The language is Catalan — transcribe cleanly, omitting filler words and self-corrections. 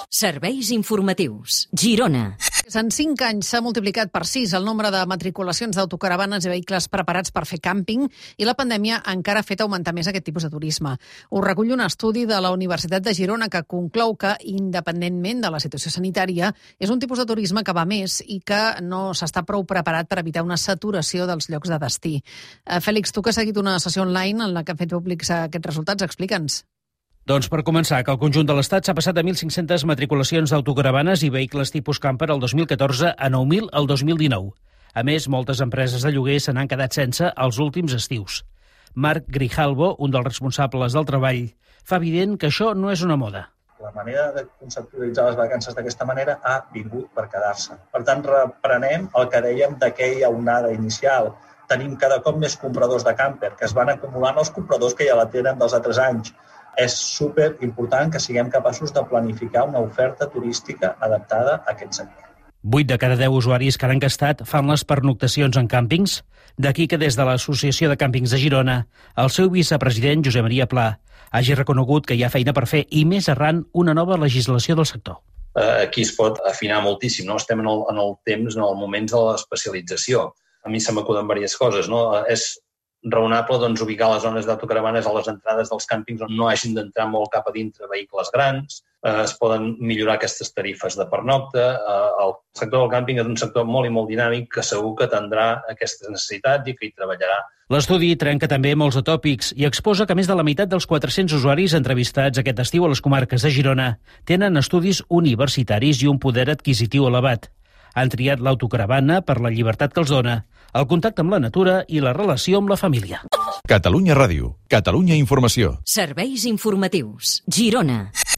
Serveis informatius. Girona. En 5 anys s'ha multiplicat per 6 el nombre de matriculacions d'autocaravanes i vehicles preparats per fer càmping i la pandèmia encara ha fet augmentar més aquest tipus de turisme. Ho recull un estudi de la Universitat de Girona que conclou que, independentment de la situació sanitària, és un tipus de turisme que va més i que no s'està prou preparat per evitar una saturació dels llocs de destí. Fèlix, tu que has seguit una sessió online en la que han fet públics aquests resultats, explica'ns. Doncs per començar, que el conjunt de l'Estat s'ha passat de 1.500 matriculacions d'autocaravanes i vehicles tipus camper el 2014 a 9.000 el 2019. A més, moltes empreses de lloguer se n'han quedat sense els últims estius. Marc Grijalvo, un dels responsables del treball, fa evident que això no és una moda. La manera de conceptualitzar les vacances d'aquesta manera ha vingut per quedar-se. Per tant, reprenem el que dèiem d'aquella onada inicial. Tenim cada cop més compradors de camper, que es van acumulant els compradors que ja la tenen dels altres anys. És superimportant que siguem capaços de planificar una oferta turística adaptada a aquest sector. 8 de cada 10 usuaris que han gastat fan les pernoctacions en càmpings. D'aquí que des de l'Associació de Càmpings de Girona, el seu vicepresident, Josep Maria Pla, hagi reconegut que hi ha feina per fer i més arran una nova legislació del sector. Aquí es pot afinar moltíssim, no? Estem en el temps, en el moment de l'especialització. A mi se m'acuden diverses coses, no? És raonable ubicar les zones d'autocaravanes a les entrades dels càmpings on no hagin d'entrar molt cap a dintre vehicles grans, es poden millorar aquestes tarifes de pernocta. El sector del càmping és un sector molt i molt dinàmic que segur que atendrà aquestes necessitats i que hi treballarà. L'estudi trenca també molts atòpics i exposa que més de la meitat dels 400 usuaris entrevistats aquest estiu a les comarques de Girona tenen estudis universitaris i un poder adquisitiu elevat. Han triat l'autocaravana per la llibertat que els dona, el contacte amb la natura i la relació amb la família. Catalunya Ràdio, Catalunya Informació. Serveis informatius. Girona.